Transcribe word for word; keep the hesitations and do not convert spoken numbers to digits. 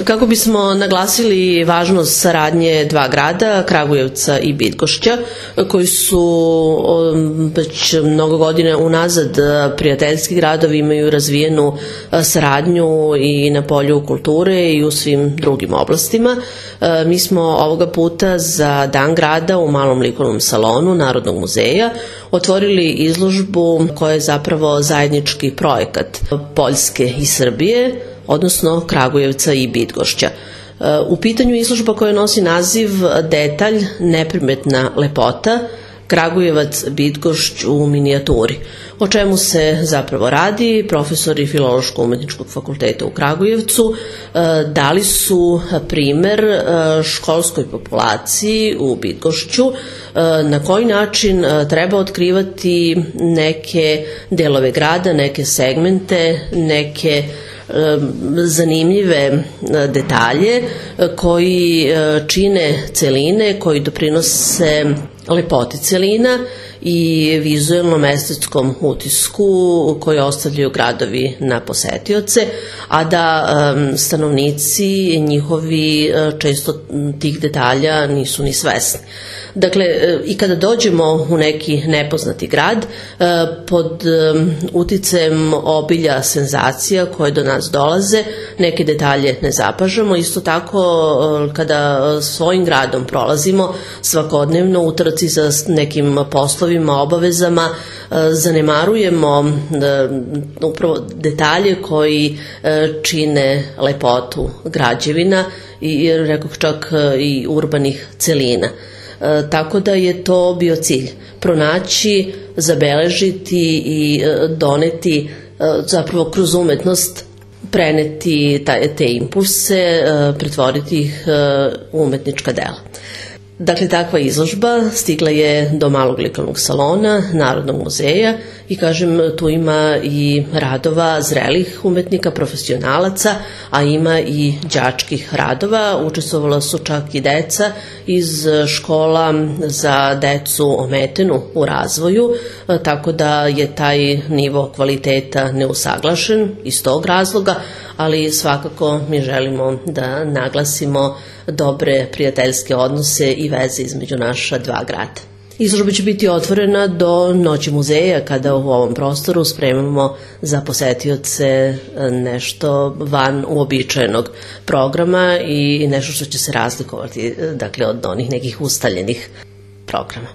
Kako bismo naglasili važnost saradnje dva grada, Kragujevca i Bydgošća, koji su već mnogo godina unazad prijateljski gradovi, imaju razvijenu saradnju i na polju kulture i u svim drugim oblastima. Mi smo ovoga puta za Dan grada u Malom likovnom salonu Narodnog muzeja otvorili izložbu koja je zapravo zajednički projekat Poljske i Srbije, odnosno Kragujevca i Bydgošća. U pitanju izložba koja nosi naziv Detalj, neprimetna lepota, Kragujevac, Bydgošć u minijaturi. O čemu se zapravo radi? Profesori Filološko-umetničkog fakulteta u Kragujevcu dali su primer školskoj populaciji u Bydgošću na koji način treba otkrivati neke delove grada, neke segmente, neke zanimljive detalje koji čine celine, koji doprinose lepoti celina i vizuelnom estetskom utisku koje ostavljaju gradovi na posetioce, a da stanovnici njihovi često tih detalja nisu ni svesni. Dakle, i kada dođemo u neki nepoznati grad, pod uticajem obilja senzacija koje do nas dolaze, neke detalje ne zapažamo. Isto tako, kada svojim gradom prolazimo svakodnevno u trci za nekim poslovima, obavezama, zanemarujemo upravo detalje koji čine lepotu građevina i, rekoh čak, i urbanih celina. Tako da je to bio cilj, pronaći, zabeležiti i doneti, zapravo kroz umetnost preneti te impulse, pretvoriti ih u umetnička dela. Dakle, takva izložba stigla je do Malog likovnog salona Narodnog muzeja i, kažem, tu ima i radova zrelih umetnika, profesionalaca, a ima i đačkih radova. Učestvovala su čak i deca iz škola za decu ometenu u razvoju, tako da je taj nivo kvaliteta neusaglašen iz tog razloga, ali svakako mi želimo da naglasimo dobre prijateljske odnose i veze između naša dva grada. Izložba će biti otvorena do Noći muzeja, kada u ovom prostoru spremamo za posetioce nešto van uobičajenog programa i nešto što će se razlikovati, dakle, od onih nekih ustaljenih programa.